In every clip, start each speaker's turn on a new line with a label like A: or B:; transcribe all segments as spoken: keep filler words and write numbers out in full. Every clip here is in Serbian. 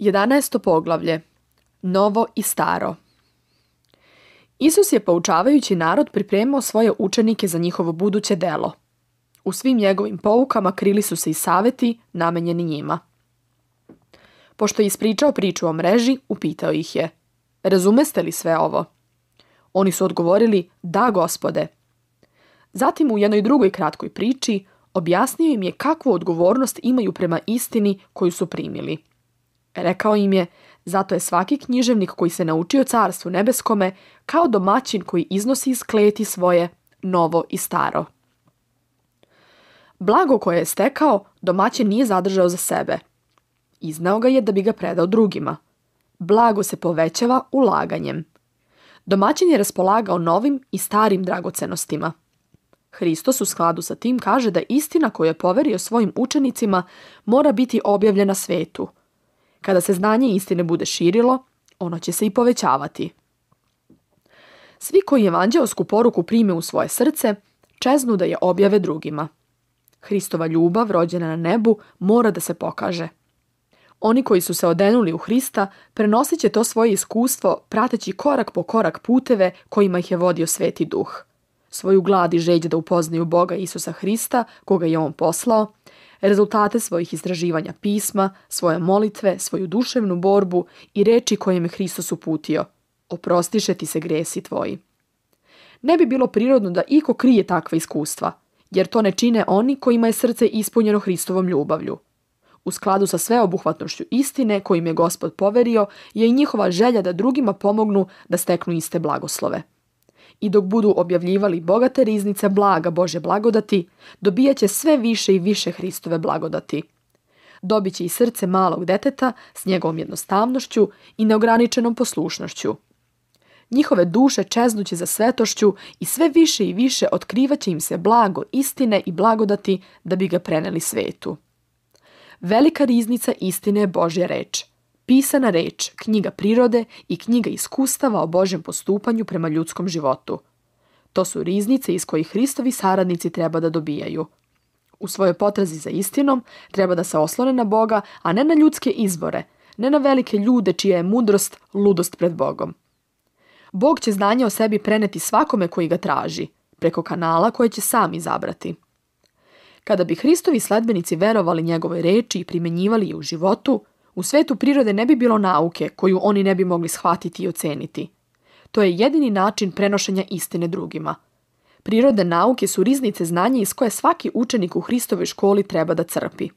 A: jedanaesto poglavlje. Novo i staro. Isus je poučavajući narod pripremao svoje učenike za njihovo buduće delo. U svim njegovim poukama krili su se i saveti namenjeni njima. Pošto je ispričao priču o mreži, upitao ih je: razumeste li sve ovo? Oni su odgovorili: da, Gospode. Zatim u jednoj drugoj kratkoj priči objasnio im je kakvu odgovornost imaju prema istini koju su primili. Rekao im je: zato je svaki književnik koji se naučio carstvu nebeskome kao domaćin koji iznosi iz kleti svoje novo i staro. Blago koje je stekao, domaćin nije zadržao za sebe. Izneo ga je da bi ga predao drugima. Blago se povećava ulaganjem. Domaćin je raspolagao novim i starim dragocenostima. Hristos u skladu sa tim kaže da istina koju je poverio svojim učenicima mora biti objavljena svetu. Kada se znanje istine bude širilo, ono će se i povećavati. Svi koji evanđeosku poruku prime u svoje srce, čeznu da je objave drugima. Hristova ljubav, rođena na nebu, mora da se pokaže. Oni koji su se odenuli u Hrista prenosit će to svoje iskustvo prateći korak po korak puteve kojima ih je vodio Sveti Duh. Svoju glad i žeđ da upoznaju Boga Isusa Hrista, koga je On poslao, rezultate svojih istraživanja pisma, svoje molitve, svoju duševnu borbu i reči kojim je Hristos uputio: oprostiše ti se gresi tvoji. Ne bi bilo prirodno da iko krije takva iskustva, jer to ne čine oni kojima je srce ispunjeno Hristovom ljubavlju. U skladu sa sveobuhvatnošću istine kojim je Gospod poverio je i njihova želja da drugima pomognu da steknu iste blagoslove. I dok budu objavljivali bogate riznice blaga Božje blagodati, dobijat će sve više i više Hristove blagodati. Dobit će i srce malog deteta s njegovom jednostavnošću i neograničenom poslušnošću. Njihove duše čeznuće za svetošću i sve više i više otkrivaće im se blago istine i blagodati da bi ga preneli svetu. Velika riznica istine je Božja reč. Pisana reč, knjiga prirode i knjiga iskustava o Božjem postupanju prema ljudskom životu. To su riznice iz kojih Hristovi saradnici treba da dobijaju. U svojoj potrazi za istinom treba da se oslone na Boga, a ne na ljudske izbore, ne na velike ljude čija je mudrost ludost pred Bogom. Bog će znanje o sebi preneti svakome koji ga traži, preko kanala koje će sam izabrati. Kada bi Hristovi sledbenici verovali njegovoj reči i primenjivali je u životu, u svetu prirode ne bi bilo nauke koju oni ne bi mogli shvatiti i oceniti. To je jedini način prenošenja istine drugima. Prirodne nauke su riznice znanja iz koje svaki učenik u Hristovoj školi treba da crpi.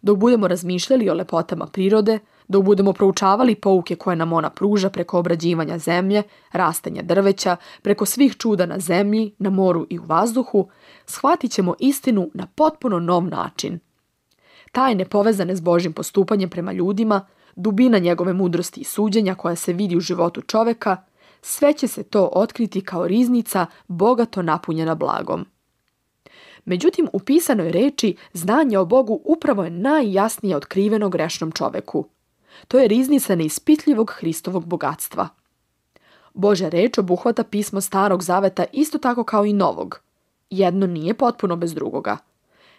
A: Dok budemo razmišljali o lepotama prirode, dok budemo proučavali pouke koje nam ona pruža preko obrađivanja zemlje, rastanja drveća, preko svih čuda na zemlji, na moru i u vazduhu, shvatit ćemo istinu na potpuno nov način. Tajne povezane s Božjim postupanjem prema ljudima, dubina njegove mudrosti i suđenja koja se vidi u životu čoveka, sve će se to otkriti kao riznica bogato napunjena blagom. Međutim, u pisanoj reči znanje o Bogu upravo je najjasnije otkriveno grešnom čoveku. To je riznica neispitljivog Hristovog bogatstva. Božja reč obuhvata pismo Starog zaveta isto tako kao i Novog. Jedno nije potpuno bez drugoga.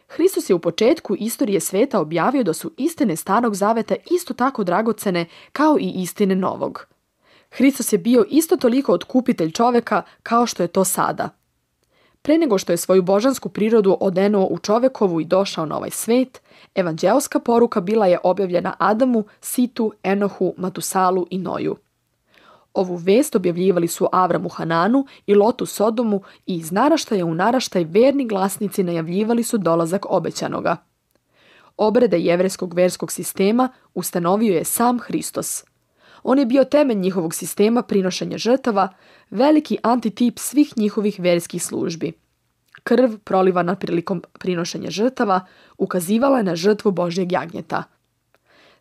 A: Hristos je u početku istorije sveta objavio da su istine Starog zaveta isto tako dragocene kao i istine Novog. Hristos je bio isto toliko otkupitelj čoveka kao što je to sada. Pre nego što je svoju božansku prirodu odenuo u čovekovu i došao na ovaj svet, evanđeoska poruka bila je objavljena Adamu, Situ, Enohu, Matusalu i Noju. Ovu vest objavljivali su Avramu Hananu i Lotu Sodomu i iz naraštaja u naraštaj verni glasnici najavljivali su dolazak obećanoga. Obrede jevrejskog verskog sistema ustanovio je sam Hristos. On je bio temelj njihovog sistema prinošenja žrtava, veliki antitip svih njihovih verskih službi. Krv prolivana prilikom prinošenja žrtava ukazivala je na žrtvu Božjeg jagnjeta.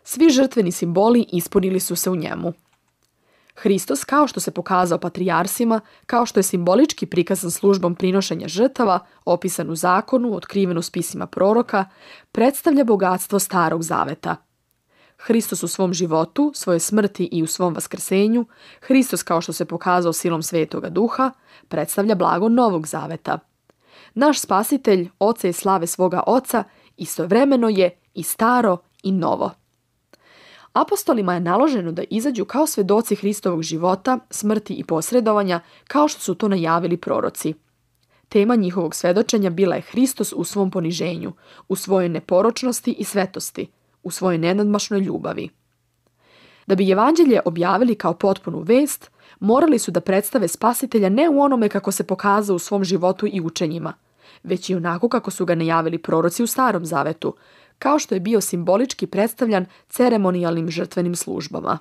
A: Svi žrtveni simboli ispunili su se u njemu. Hristos, kao što se pokazao patrijarsima, kao što je simbolički prikazan službom prinošenja žrtava, opisan u zakonu, otkriven u spisima proroka, predstavlja bogatstvo Starog zaveta. Hristos u svom životu, svoje smrti i u svom vaskrsenju, Hristos kao što se pokazao silom Svetoga Duha, predstavlja blago Novog zaveta. Naš spasitelj, oca i slave svoga oca, istovremeno je i staro i novo. Apostolima je naloženo da izađu kao svedoci Hristovog života, smrti i posredovanja, kao što su to najavili proroci. Tema njihovog svedočenja bila je Hristos u svom poniženju, u svojoj neporočnosti i svetosti, u svojoj nenadmašnoj ljubavi. Da bi evanđelje objavili kao potpunu vest, morali su da predstave Spasitelja ne u onome kako se pokazao u svom životu i učenjima, već i onako kako su ga najavili proroci u Starom zavetu, kao što je bio simbolički predstavljan ceremonijalnim žrtvenim službama.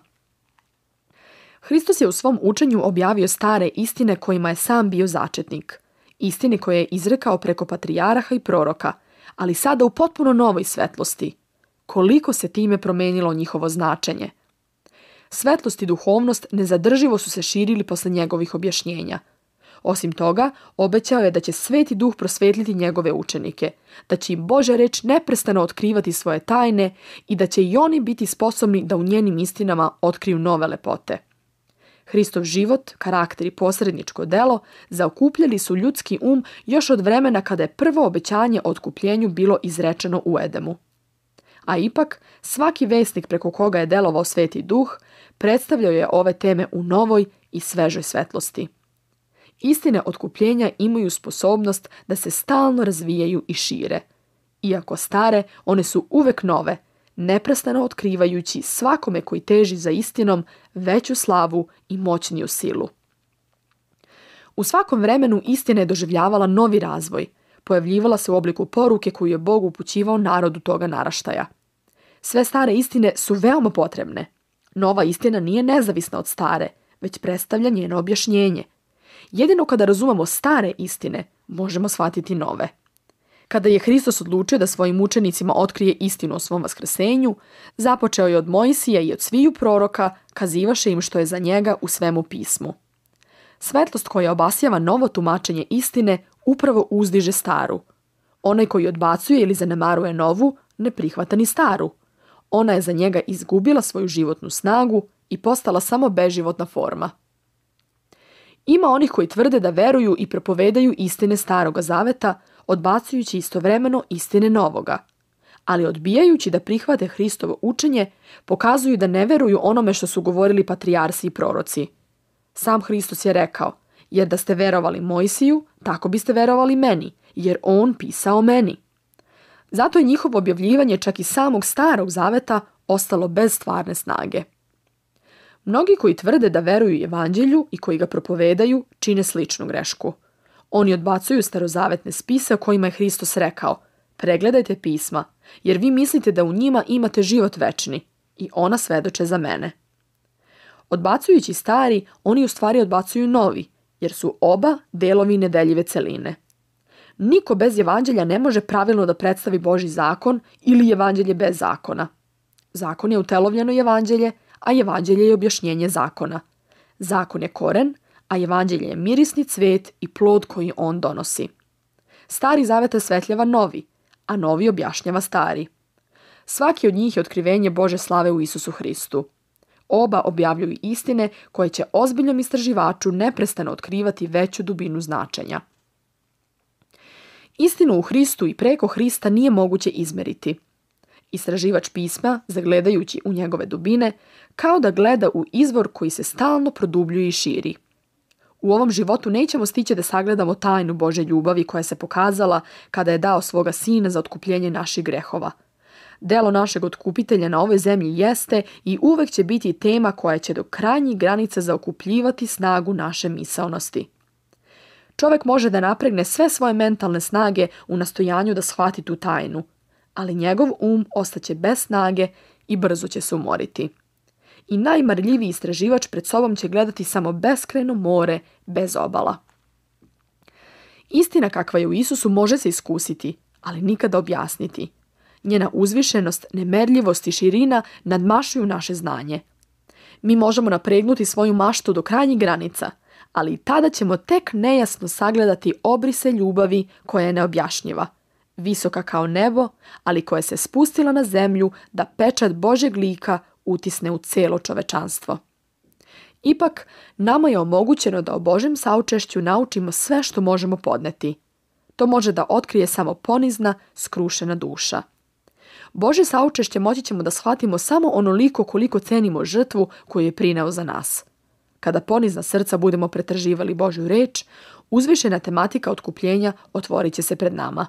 A: Hristos je u svom učenju objavio stare istine kojima je sam bio začetnik, istine koje je izrekao preko patrijaraha i proroka, ali sada u potpuno novoj svetlosti. Koliko se time promenilo njihovo značenje. Svetlost i duhovnost nezadrživo su se širili posle njegovih objašnjenja. Osim toga, obećao je da će Sveti Duh prosvetliti njegove učenike, da će im Božja reč neprestano otkrivati svoje tajne i da će i oni biti sposobni da u njenim istinama otkriju nove lepote. Hristov život, karakter i posredničko delo zaokupljali su ljudski um još od vremena kada je prvo obećanje o otkupljenju bilo izrečeno u Edemu. A ipak, svaki vesnik preko koga je delovao Sveti Duh predstavljao je ove teme u novoj i svežoj svetlosti. Istine otkupljenja imaju sposobnost da se stalno razvijaju i šire. Iako stare, one su uvek nove, neprestano otkrivajući svakome koji teži za istinom veću slavu i moćniju silu. U svakom vremenu istina je doživljavala novi razvoj, pojavljivala se u obliku poruke koju je Bog upućivao narodu toga naraštaja. Sve stare istine su veoma potrebne. Nova istina nije nezavisna od stare, već predstavlja njeno objašnjenje. Jedino kada razumemo stare istine, možemo shvatiti nove. Kada je Hristos odlučio da svojim učenicima otkrije istinu o svom vaskrsenju, započeo je od Mojsija i od sviju proroka, kazivaše im što je za njega u svemu pismu. Svetlost koja obasjava novo tumačenje istine upravo uzdiže staru. Onaj koji odbacuje ili zanemaruje novu, ne prihvata ni staru. Ona je za njega izgubila svoju životnu snagu i postala samo beživotna forma. Ima onih koji tvrde da veruju i propovedaju istine Staroga zaveta, odbacujući istovremeno istine Novoga. Ali odbijajući da prihvate Hristovo učenje, pokazuju da ne veruju onome što su govorili patrijarsi i proroci. Sam Hristos je rekao, jer da ste verovali Mojsiju, tako biste verovali meni, jer on pisao meni. Zato je njihovo objavljivanje čak i samog Starog zaveta ostalo bez stvarne snage. Mnogi koji tvrde da veruju evanđelju i koji ga propovedaju, čine sličnu grešku. Oni odbacuju starozavetne spise o kojima je Hristos rekao, pregledajte pisma, jer vi mislite da u njima imate život večni i ona svedoče za mene. Odbacujući stari, oni u stvari odbacuju novi, jer su oba delovi nedeljive celine. Niko bez evanđelja ne može pravilno da predstavi Božji zakon ili evanđelje bez zakona. Zakon je utelovljeno evanđelje, a evanđelje je objašnjenje zakona. Zakon je koren, a evanđelje je mirisni cvet i plod koji on donosi. Stari zavet osvetljava novi, a novi objašnjava stari. Svaki od njih je otkrivenje Bože slave u Isusu Hristu. Oba objavljuju istine koje će ozbiljnom istraživaču neprestano otkrivati veću dubinu značenja. Istinu u Hristu i preko Hrista nije moguće izmeriti. Istraživač pisma, zagledajući u njegove dubine, kao da gleda u izvor koji se stalno produbljuje i širi. U ovom životu nećemo stići da sagledamo tajnu Božje ljubavi koja se pokazala kada je dao svoga sina za otkupljenje naših grehova. Delo našeg otkupitelja na ovoj zemlji jeste i uvek će biti tema koja će do krajnjih granica zaokupljivati snagu naše misaonosti. Čovjek može da napregne sve svoje mentalne snage u nastojanju da shvati tu tajnu, ali njegov um ostaće bez snage i brzo će se umoriti. I najmarljiviji istraživač pred sobom će gledati samo beskrajno more bez obala. Istina kakva je u Isusu može se iskusiti, ali nikada objasniti. Njena uzvišenost, nemerljivost i širina nadmašuju naše znanje. Mi možemo napregnuti svoju maštu do krajnjih granica, ali i tada ćemo tek nejasno sagledati obrise ljubavi koja je neobjašnjiva, visoka kao nebo, ali koja se spustila na zemlju da pečat Božjeg lika utisne u celo čovečanstvo. Ipak, nama je omogućeno da o Božjem saučešću naučimo sve što možemo podneti. To može da otkrije samo ponizna, skrušena duša. Božje saučešće moći ćemo da shvatimo samo onoliko koliko cenimo žrtvu koju je prineo za nas. Kada ponizna srca budemo pretraživali Božju reč, uzvišena tematika otkupljenja otvorit će se pred nama.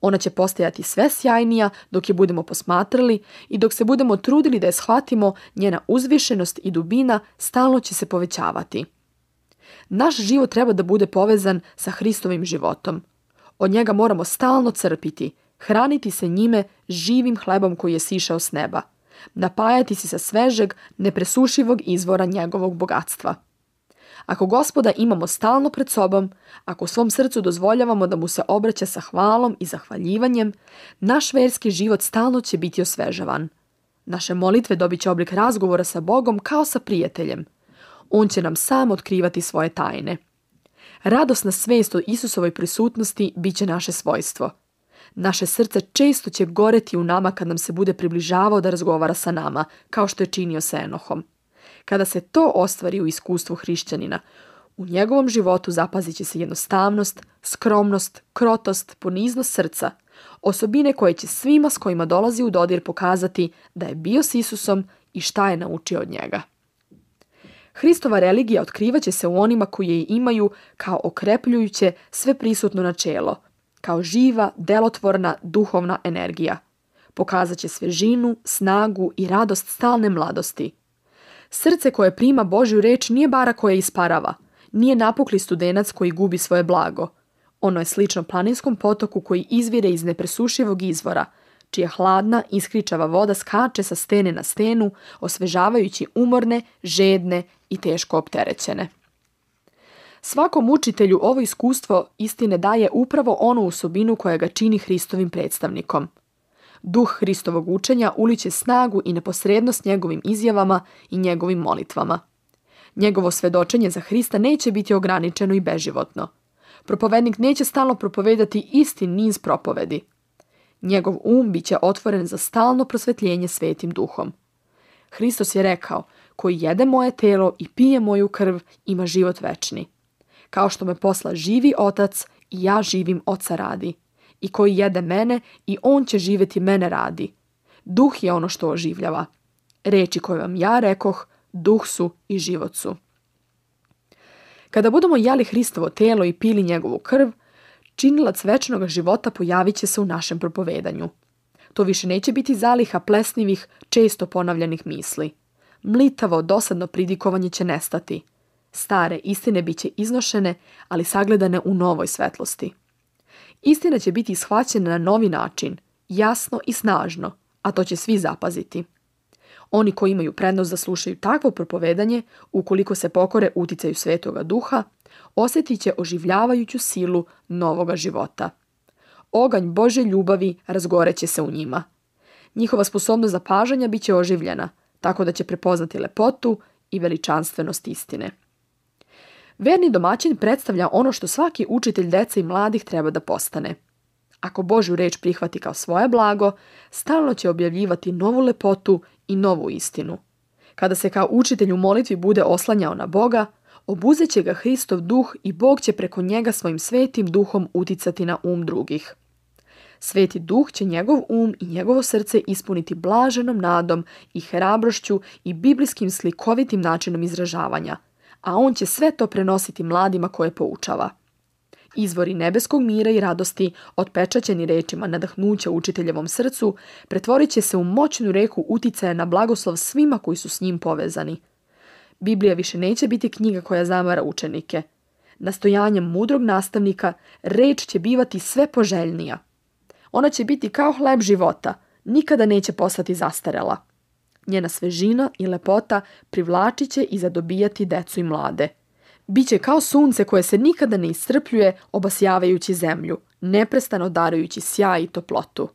A: Ona će postajati sve sjajnija dok je budemo posmatrali i dok se budemo trudili da je shvatimo, njena uzvišenost i dubina stalno će se povećavati. Naš život treba da bude povezan sa Hristovim životom. Od njega moramo stalno crpiti, hraniti se njime živim hlebom koji je sišao s neba, napajati se sa svežeg, nepresušivog izvora njegovog bogatstva. Ako Gospoda imamo stalno pred sobom, ako u svom srcu dozvoljavamo da mu se obraća sa hvalom i zahvaljivanjem, naš verski život stalno će biti osvežavan. Naše molitve dobit će oblik razgovora sa Bogom kao sa prijateljem. On će nam sam otkrivati svoje tajne. Radosna svest o Isusovoj prisutnosti bit će naše svojstvo. Naše srce često će goreti u nama kad nam se bude približavao da razgovara sa nama, kao što je činio sa Enohom. Kada se to ostvari u iskustvu hrišćanina, u njegovom životu zapazit će se jednostavnost, skromnost, krotost, poniznost srca, osobine koje će svima s kojima dolazi u dodir pokazati da je bio s Isusom i šta je naučio od njega. Hristova religija otkrivaće se u onima koji je imaju kao okrepljujuće sve prisutno načelo, kao živa, delotvorna, duhovna energija. Pokazat će svežinu, snagu i radost stalne mladosti. Srce koje prima Božju reč nije bara koja isparava, nije napukli studenac koji gubi svoje blago. Ono je slično planinskom potoku koji izvire iz nepresušivog izvora, čija hladna, iskričava voda skače sa stene na stenu, osvežavajući umorne, žedne i teško opterećene. Svakom učitelju ovo iskustvo istine daje upravo onu osobinu koja ga čini Hristovim predstavnikom. Duh Hristovog učenja uliće snagu i neposrednost njegovim izjavama i njegovim molitvama. Njegovo svedočenje za Hrista neće biti ograničeno i beživotno. Propovednik neće stalno propovedati isti niz propovedi. Njegov um bit će otvoren za stalno prosvetljenje svetim duhom. Hristos je rekao, koji jede moje telo i pije moju krv ima život večni. Kao što me posla živi otac i ja živim oca radi. I koji jede mene i on će živjeti mene radi. Duh je ono što oživljava. Reči koje vam ja rekoh, duh su i život su. Kada budemo jeli Hristovo telo i pili njegovu krv, činilac večnog života pojavit će se u našem propovedanju. To više neće biti zaliha plesnivih, često ponavljanih misli. Mlitavo, dosadno pridikovanje će nestati. Stare istine bit će iznošene, ali sagledane u novoj svetlosti. Istina će biti shvaćena na novi način, jasno i snažno, a to će svi zapaziti. Oni koji imaju prednost da slušaju takvo propovedanje, ukoliko se pokore uticaju Svetoga Duha, osjetit će oživljavajuću silu novoga života. Oganj Božje ljubavi razgoreće se u njima. Njihova sposobnost zapažanja bit će oživljena, tako da će prepoznati lepotu i veličanstvenost istine. Verni domaćin predstavlja ono što svaki učitelj dece i mladih treba da postane. Ako Božju reč prihvati kao svoje blago, stalno će objavljivati novu lepotu i novu istinu. Kada se kao učitelj u molitvi bude oslanjao na Boga, obuzet će ga Hristov duh i Bog će preko njega svojim svetim duhom uticati na um drugih. Sveti duh će njegov um i njegovo srce ispuniti blaženom nadom i hrabrošću i biblijskim slikovitim načinom izražavanja, a on će sve to prenositi mladima koje poučava. Izvori nebeskog mira i radosti, otpečaćeni rečima nadahnuća učiteljevom srcu, pretvorit će se u moćnu reku uticaja na blagoslov svima koji su s njim povezani. Biblija više neće biti knjiga koja zamara učenike. Nastojanjem mudrog nastavnika reč će bivati sve poželjnija. Ona će biti kao hleb života, nikada neće postati zastarela. Njena svežina i lepota privlačit će i zadobijati decu i mlade. Biće kao sunce koje se nikada ne iscrpljuje obasjavajući zemlju, neprestano darujući sjaj i toplotu.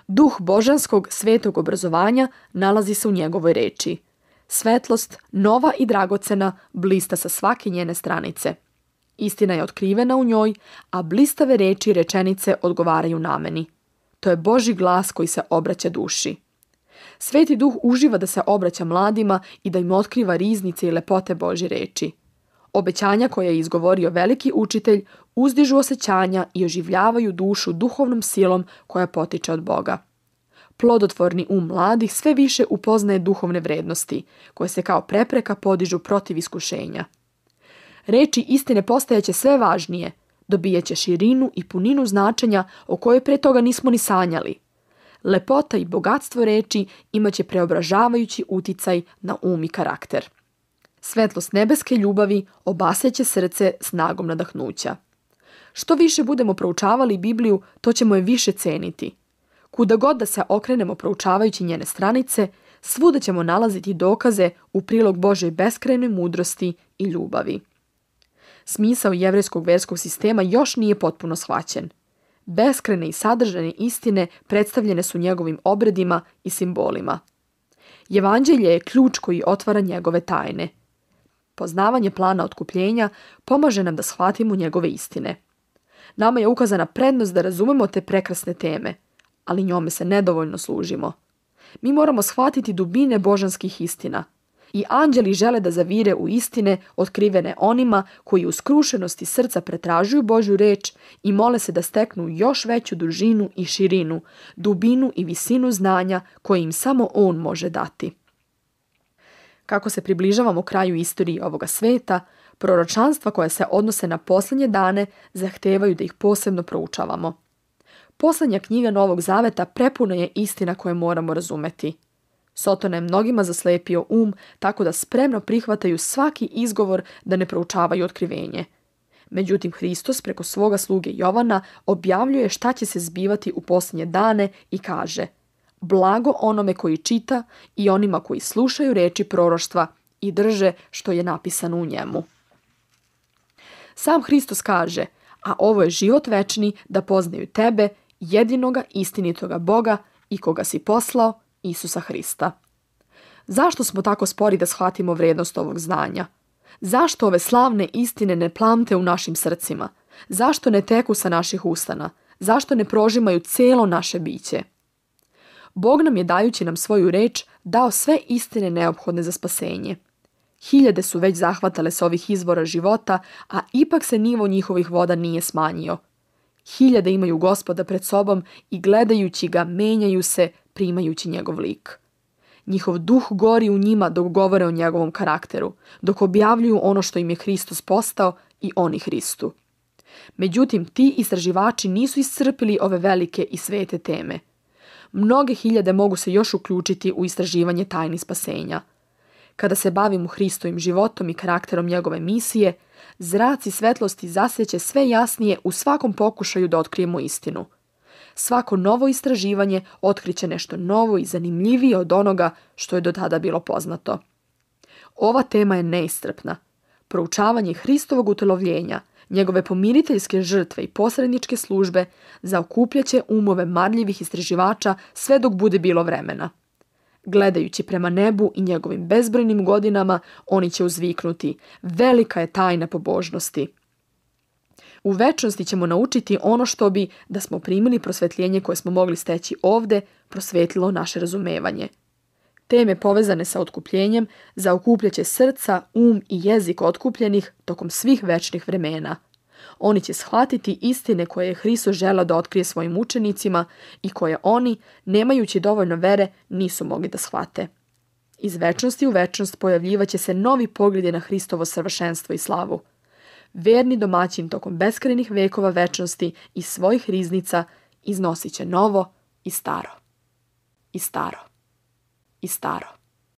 A: Duh božanskog svetog obrazovanja nalazi se u njegovoj reči. Svetlost, nova i dragocena, blista sa svake njene stranice. Istina je otkrivena u njoj, a blistave reči i rečenice odgovaraju nameni. To je Božji glas koji se obraća duši. Sveti duh uživa da se obraća mladima i da im otkriva riznice i lepote Božje reči. Obećanja koje je izgovorio veliki učitelj uzdižu osjećanja i oživljavaju dušu duhovnom silom koja potiče od Boga. plodotvorni um mladih sve više upoznaje duhovne vrednosti, koje se kao prepreka podižu protiv iskušenja. Reči istine postajeće sve važnije, dobijaće širinu i puninu značenja o kojoj pre toga nismo ni sanjali. Lepota i bogatstvo reči imaće preobražavajući uticaj na um i karakter. Svetlost nebeske ljubavi obaseće srce snagom nadahnuća. Što više budemo proučavali Bibliju, to ćemo je više ceniti. Kuda god da se okrenemo proučavajući njene stranice, svuda ćemo nalaziti dokaze u prilog Božoj beskrajnoj mudrosti i ljubavi. Smisao jevrejskog verskog sistema još nije potpuno shvaćen. Beskrajne i sadržane istine predstavljene su njegovim obredima i simbolima. Evanđelje je ključ koji otvara njegove tajne. Poznavanje plana otkupljenja pomaže nam da shvatimo njegove istine. Nama je ukazana prednost da razumemo te prekrasne teme, ali njome se nedovoljno služimo. Mi moramo shvatiti dubine božanskih istina. I anđeli žele da zavire u istine otkrivene onima koji u skrušenosti srca pretražuju Božju reč i mole se da steknu još veću dužinu i širinu, dubinu i visinu znanja koje im samo On može dati. Kako se približavamo kraju istorije ovoga sveta, proročanstva koja se odnose na posljednje dane zahtevaju da ih posebno proučavamo. Poslednja knjiga Novog Zaveta prepuna je istina koje moramo razumeti. Sotona je mnogima zaslepio um tako da spremno prihvataju svaki izgovor da ne proučavaju otkrivenje. Međutim, Hristos preko svoga sluge Jovana objavljuje šta će se zbivati u posljednje dane i kaže: blago onome koji čita i onima koji slušaju reči proroštva i drže što je napisano u njemu. Sam Hristos kaže: a ovo je život večni, da poznaju tebe, jedinoga istinitoga Boga i koga si poslao, Isusa Hrista. Zašto smo tako spori da shvatimo vrednost ovog znanja? Zašto ove slavne istine ne plamte u našim srcima? Zašto ne teku sa naših ustana? Zašto ne prožimaju celo naše biće? Bog nam je, dajući nam svoju reč, dao sve istine neophodne za spasenje. Hiljade su već zahvatale s ovih izvora života, a ipak se nivo njihovih voda nije smanjio. Hiljade imaju Gospoda pred sobom i gledajući ga menjaju se, primajući njegov lik. Njihov duh gori u njima dok govore o njegovom karakteru, dok objavljuju ono što im je Hristos postao i oni Hristu. Međutim, ti istraživači nisu iscrpili ove velike i svete teme. Mnoge hiljade mogu se još uključiti u istraživanje tajni spasenja. Kada se bavimo Hristovim životom i karakterom njegove misije, zraci svetlosti zasjeće sve jasnije u svakom pokušaju da otkrijemo istinu. Svako novo istraživanje otkriće nešto novo i zanimljivije od onoga što je do tada bilo poznato. Ova tema je neiscrpna. Proučavanje Hristovog utelovljenja, njegove pomiriteljske žrtve i posredničke službe zaokupljaće umove marljivih istraživača sve dok bude bilo vremena. Gledajući prema nebu i njegovim bezbrojnim godinama, oni će uzviknuti: velika je tajna pobožnosti. U večnosti ćemo naučiti ono što bi, da smo primili prosvetljenje koje smo mogli steći ovde, prosvetlilo naše razumevanje. Teme povezane sa otkupljenjem zaokupljaće srca, um i jezik otkupljenih tokom svih večnih vremena. Oni će shvatiti istine koje je Hristos želeo da otkrije svojim učenicima i koje oni, nemajući dovoljno vere, nisu mogli da shvate. Iz večnosti u večnost pojavljivaće se novi pogledi na Hristovo savršenstvo i slavu. Verni domaćin tokom beskrajnih vekova večnosti iz svojih riznica iznosit će novo i staro. I staro. I staro.